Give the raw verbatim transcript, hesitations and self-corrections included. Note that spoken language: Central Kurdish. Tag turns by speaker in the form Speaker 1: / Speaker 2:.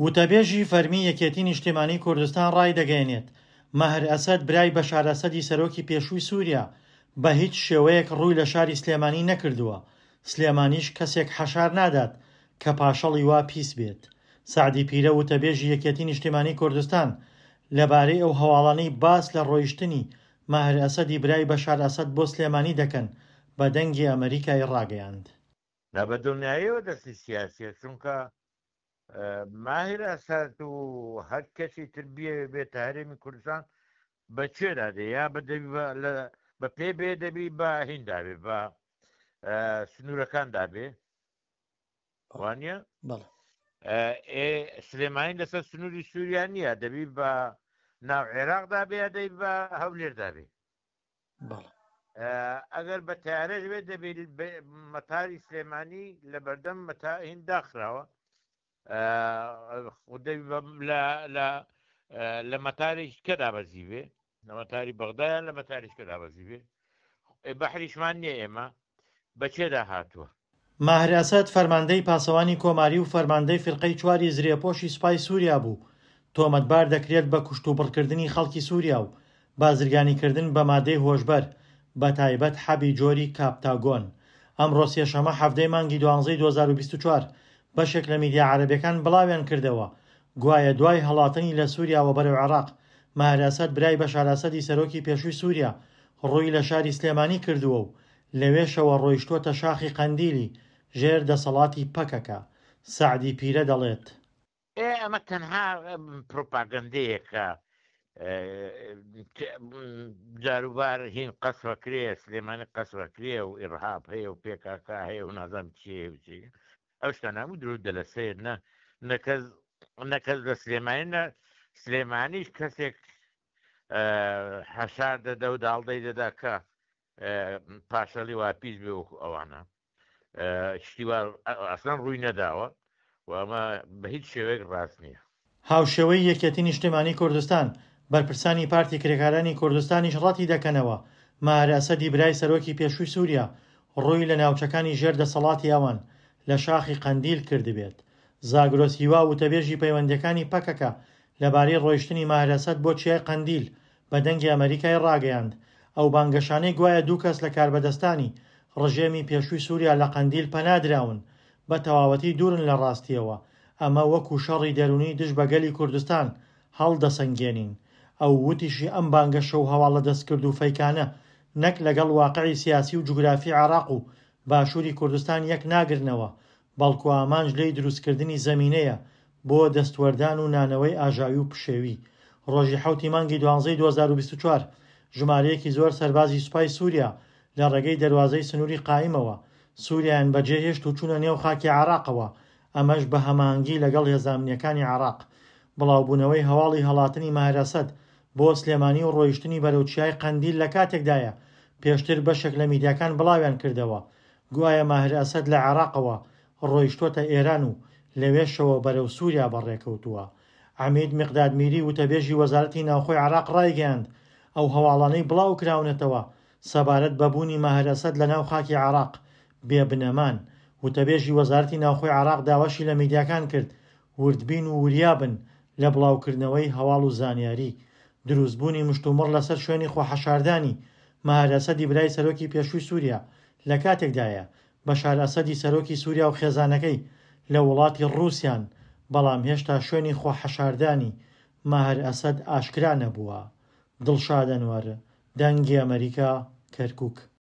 Speaker 1: وتەبێژی فەرمی یەکێتی نیشتیمانی کوردستان ڕایدەگەیەنێت، ماهر ئەسەد برای بەشار ئەسەدی سەرۆکی پێشووی سووریا بە هیچ شێوەیەک ڕووی لە شاری سلێمانی نەکردووە، سلێمانیش کەسێک حەشار نادات کە پاشەڵی وا پیس بێت. سەعدی پیرە وتەبێژی یەکێتی نیشتیمانی کوردستان لەبارەی ئەو هەواڵانەی باس لە ڕۆیشتنی ماهر ئەسەدی برای بەشار ئەسەد بۆ سلێمانی دەکەن بە دەنگی ئەمەریکای ڕاگەیاند.
Speaker 2: نا بە دڵنیاییەوە دەستی سیاسیە، چونکە ماهر ئەسەد و هەر کەسی تر بیەوێ بێتە هەرێمی کوردستان بە کوێدا دێ؟ یا بە دەبی بە لە بە پێ بێ دەبی بە هیندا بێ بە سنوورەکاندا بێ وانە؟
Speaker 1: بەڵێ.
Speaker 2: ئێ سلێمانی لەسەر سنووری سووریا نییە، دەبی بە ناو عێراقدا بێ یا دەبی بە هەولێردا بێ؟
Speaker 1: بەڵێ.
Speaker 2: ئەگەر بە تارەش بێت دەبێت مەتاری سلێمانی لە بەردەم مەتا هین داخراوە، لە مەتارێکی کە دابەزی بێ، لە مەتاری بەغدایان لە مەتاریش کە دابەزی بێ، بەحریشمان نییە ئێمە بە چێدا هاتووە.
Speaker 1: ماهر ئەسەد فەرماندەی پاسەوانی کۆماری و فەرماندەی فرقەی چواری زرێپۆشی سوپای سووریا بوو، تۆمەتبار دەکرێت بە کوشت و بڕکردنی خەڵکی سووریا و بازرگانیکردن بە مادەی هۆشبەر بە تایبەت حەبی جۆری کاپتاگۆن. ئەمڕۆ سێشەمە حەفتەی مانگی دوانزەی دوو هەزار و بیست و چوار بەشێک لە میدیا عەرەبیەکان بڵاویان کردەوە گوایە دوای هەڵاتنی لە سووریاوە بەرەو عێراق ماهر ئەسەد برای بەشار ئەسەدی سەرۆکی پێشووی سووریا ڕووی لە شاری سلێمانی کردووە و لەوێشەوە ڕۆیشتووەتە شاخی قەندیلی ژێر دەسەڵاتی پەکەکە. سەعدی پیرە دەڵێت،
Speaker 2: ئێ ئەمە تەنها پروپاگەندەیەکە، جاروبار هین قەسوەکرێ، سلێمانی قەسوەکرێ و ئیرهاب هەیە و پێکاکا هەیە و نازانم چی هەیە و چی. ئەو شتانە هەموو درۆ دەلەسەیە، نە نەکەس نەکەس لە سلێمانی نە سلێمانیش کەسێک حەشار دەدا و داڵدەی دەدا کە پاشەڵی وا پیس بێ وەکو ئەوانە. شتی وا ئەسڵەن ڕووی نەداوە و ئەمە بە هیچ شێوەیەک ڕاست نییە.
Speaker 1: هاوشێوەی یەکێتی نیشتیمانی کوردستان، بەرپرسانی پارتی کرێکارانی کوردستانیش ڕەتی دەکەنەوە ماهر ئەسەدی برای سەرۆکی پێشووی سووریا ڕووی لە ناوچەکانی ژێر دەسەڵاتی ئەوان لە شاخی قەندیل کردبێت. زاگرۆس هیوا وتەبێژی پەیوەندیەکانی پەکەکە لەبارەی ڕۆیشتنی ماهر ئەسەد بۆ چیای قەندیل بە دەنگی ئەمەریکای ڕاگەیاند ئەو بانگەشانەی گوایە دوو کەس لە کاربەدەستانی ڕژێمی پێشووی سووریا لە قەندیل پەنادراون بە تەواوەتی دوورن لە ڕاستیەوە، ئەمە وەکو شەڕی دەرونی دژ بە گەلی کوردستان هەڵدەسەنگێنین. ئەو وتیشی ئەم بانگەشە و هەواڵە دەستکرد و فەیکانە نەک لەگەڵ واقعی سیاسی و جوگرافی عێراق و باشووری کوردستان یەک ناگرنەوە، بەڵکو ئامانج لێی دروستکردنی زەمینەیە بۆ دەستوەردان و نانەوەی ئاژاوی و پشێوی. ڕۆژی حەوتی مانگی دوانزەی دوو هەزار و بیست و چوار ژمارەیەکی زۆر سەربازی سوپای سووریا لە ڕێگەی دەروازەی سنووری قایمەوە سووریایان بەجێهێشت و چوونە نێو خاکی عێراقەوە، ئەمەش بە هەماهەنگی لەگەڵ هێزامنیەکانی عێراق. بڵاوبوونەوەی هەواڵی هەڵاتنی ماهر ئەسەد بۆ سلێمانی و ڕۆیشتنی بەرەو چیای قەندیل لە کاتێکدایە پێشتر بەشێک لە میدیاکان بڵاویان کردەوە گوایە ماهر ئەسەد لە عێراقەوە ڕۆیشتوەتە ئێران و لەوێشەوە بەرەو سووریا بەڕێکەوتووە. عەمید مقداد میری وتەبێژی وەزارەتی ناوخۆی عێراق ڕایگەیاند ئەو هەواڵانەی بڵاو کراونەتەوە سەبارەت بە بوونی ماهر ئەسەد لە ناو خاکی عێراق بێبنەمان. وتەبێژی وەزارەتی ناوخۆی عێراق داواشی لە میدیاکان کرد وردبین و وریابن لە بڵاوکردنەوەی هەواڵ و زانیاری. دروستبوونی مشتومڕ لەسەر شوێنی خۆحەشاردانی ماهر ئەسەدی برای سەرۆکی پێشووی سووریا لە کاتێکدایە بەشار ئەسەدی سەرۆکی سووریا و خێزانەکەی لە وڵاتی ڕووسیان، بەڵام هێشتا شوێنی خۆحەشاردانی ماهر ئەسەد ئاشکرا نەبووە. دڵشاد ئەنوەر، دەنگی ئەمەریکا، کەرکووک.